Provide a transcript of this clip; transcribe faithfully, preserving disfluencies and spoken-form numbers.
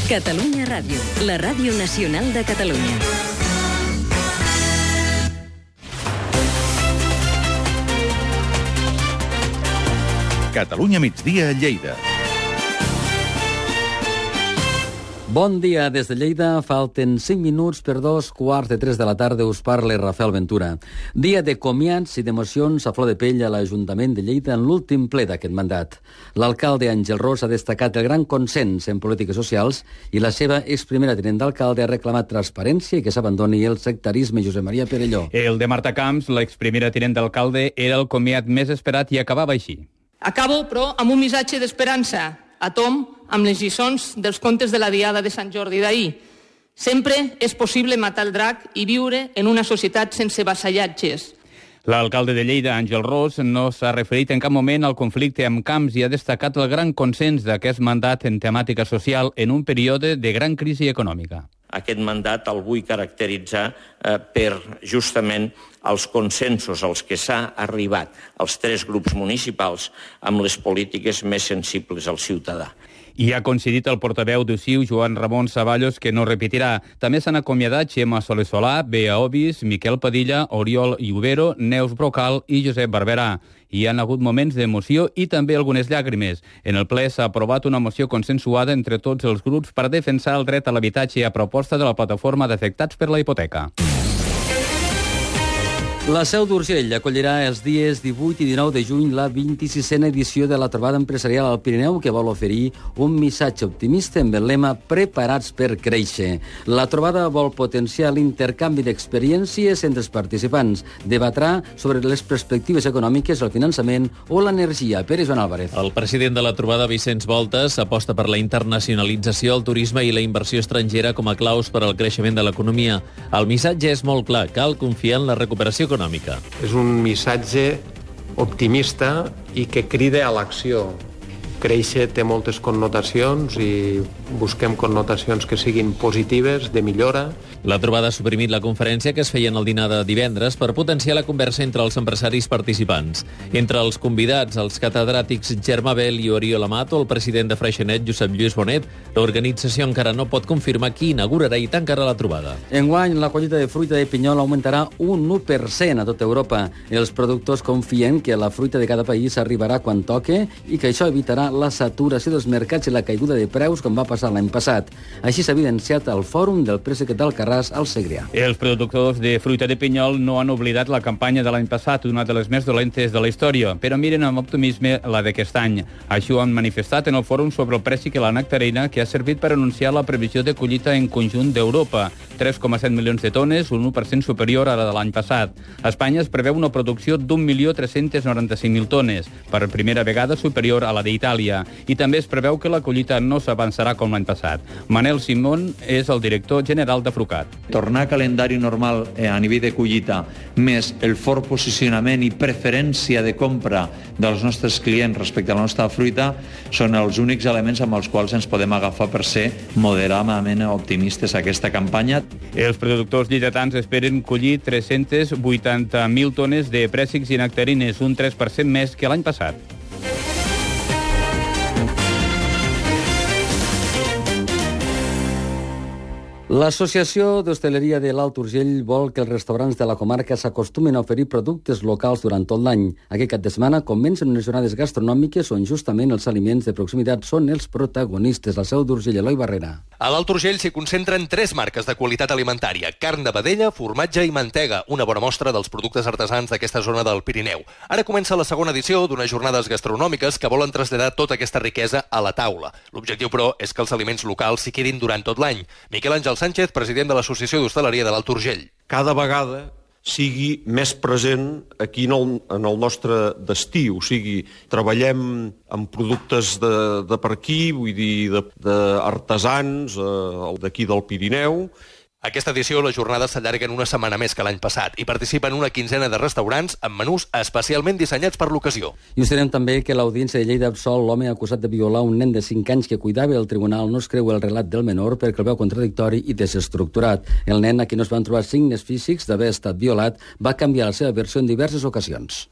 Catalunya Ràdio, la ràdio nacional de Catalunya. Catalunya migdia a Lleida. Bon dia des de Lleida. Falten cinc minuts per dos quarts de tres de la tarda. Us parla Rafael Ventura. Dia de comiats i d'emocions a flor de pell a l'Ajuntament de Lleida en l'últim ple d'aquest mandat. L'alcalde Àngel Ros ha destacat el gran consens en polítiques socials i la seva exprimera tinent d'alcalde ha reclamat transparència i que s'abandoni el sectarisme. Josep Maria Perelló. El de Marta Camps, l'exprimera tinent d'alcalde, era el comiat més esperat i acabava així. Acabo, però, amb un missatge d'esperança. A tom amb les lliçons dels contes de la Diada de Sant Jordi d'ahir. Sempre és possible matar el drac i viure en una societat sense vassallatges. L'alcalde de Lleida, Àngel Ros, no s'ha referit en cap moment al conflicte amb Camps i ha destacat el gran consens d'aquest mandat en temàtica social en un període de gran crisi econòmica. Aquest mandat el vull caracteritzar eh, per justament els consensos als que s'ha arribat els tres grups municipals amb les polítiques més sensibles al ciutadà. I ha coincidit el portaveu d'U C I U, Joan Ramon Saballos, que no repetirà. També s'han acomiadat Xema Soler Solà, Bea Obis, Miquel Padilla, Oriol Iubero, Neus Brocal i Josep Barberà. Hi han hagut moments d'emoció i també algunes llàgrimes. En el ple s'ha aprovat una moció consensuada entre tots els grups per defensar el dret a l'habitatge a proposta de la plataforma d'afectats per la hipoteca. La Seu d'Urgell acollirà els dies divuit i dinou de juny la vint-i-sisena edició de la trobada empresarial al Pirineu, que vol oferir un missatge optimista amb el lema Preparats per créixer. La trobada vol potenciar l'intercanvi d'experiències entre els participants. Debatrà sobre les perspectives econòmiques, el finançament o l'energia. Pere Joan Álvarez. El president de la trobada, Vicenç Voltes, aposta per la internacionalització, el turisme i la inversió estrangera com a claus per al creixement de l'economia. El missatge és molt clar, cal confiar en la recuperació econòmica. És un missatge optimista i que crida a l'acció. Créixer té moltes connotacions i busquem connotacions que siguin positives, de millora. La trobada ha suprimit la conferència que es feia en el dinar de divendres per potenciar la conversa entre els empresaris participants. Entre els convidats, els catedràtics Germà Bel i Oriol Amat o el president de Freixenet, Josep Lluís Bonet, l'organització encara no pot confirmar qui inaugurarà i tancarà la trobada. Enguany, la collita de fruita de pinyol augmentarà un u per cent a tota Europa. Els productors confien que la fruita de cada país arribarà quan toque i que això evitarà la saturació dels mercats i la caiguda de preus com va passar l'any passat. Així s'ha evidenciat al fòrum del préssec d'Alcarràs al Segrià. Els productors de fruita de pinyol no han oblidat la campanya de l'any passat, una de les més dolentes de la història, però miren amb optimisme la d'aquest any. Això ho han manifestat en el fòrum sobre el préssec i la nectarina, que ha servit per anunciar la previsió de collita en conjunt d'Europa, tres coma set milions de tones, un u per cent superior a la de l'any passat. A Espanya es preveu una producció d'un milió tres-cents noranta-cinc mil tones, per primera vegada superior a la d'Itàlia. I també es preveu que la collita no s'avançarà com l'any passat. Manel Simón és el director general de Frucat. Tornar a calendari normal eh, a nivell de collita, més el fort posicionament i preferència de compra dels nostres clients respecte a la nostra fruita, són els únics elements amb els quals ens podem agafar per ser moderadament optimistes a aquesta campanya. Els productors lleidatans esperen collir tres-cents vuitanta mil tones de préssecs i nectarines, un tres per cent més que l'any passat. L'Associació d'Hostaleria de l'Alt Urgell vol que els restaurants de la comarca s'acostumin a oferir productes locals durant tot l'any. Aquest cap de setmana comencen unes jornades gastronòmiques on justament els aliments de proximitat són els protagonistes. La Seu d'Urgell, Eloi Barrera. A l'Alt Urgell s'hi concentren tres marques de qualitat alimentària: carn de vedella, formatge i mantega, una bona mostra dels productes artesans d'aquesta zona del Pirineu. Ara comença la segona edició d'unes jornades gastronòmiques que volen traslladar tota aquesta riquesa a la taula. L'objectiu, però, és que els aliments locals s'hi quedin durant tot l'any. Miquel Àngel Sánchez, president de l'Associació d'Hostaleria de l'Alt Urgell. Cada vegada sigui més present aquí en el, en el nostre destí, o sigui, treballem amb productes de, de per aquí, vull dir, d'artesans, eh, d'aquí del Pirineu. Aquesta edició les jornades s'allarguen una setmana més que l'any passat i participen una quinzena de restaurants amb menús especialment dissenyats per l'ocasió. I us direm també que l'Audiència de Lleida absol l'home acusat de violar un nen de cinc anys que cuidava. El tribunal no es creu el relat del menor perquè el veu contradictori i desestructurat. El nen, a qui no es van trobar signes físics d'haver estat violat, va canviar la seva versió en diverses ocasions.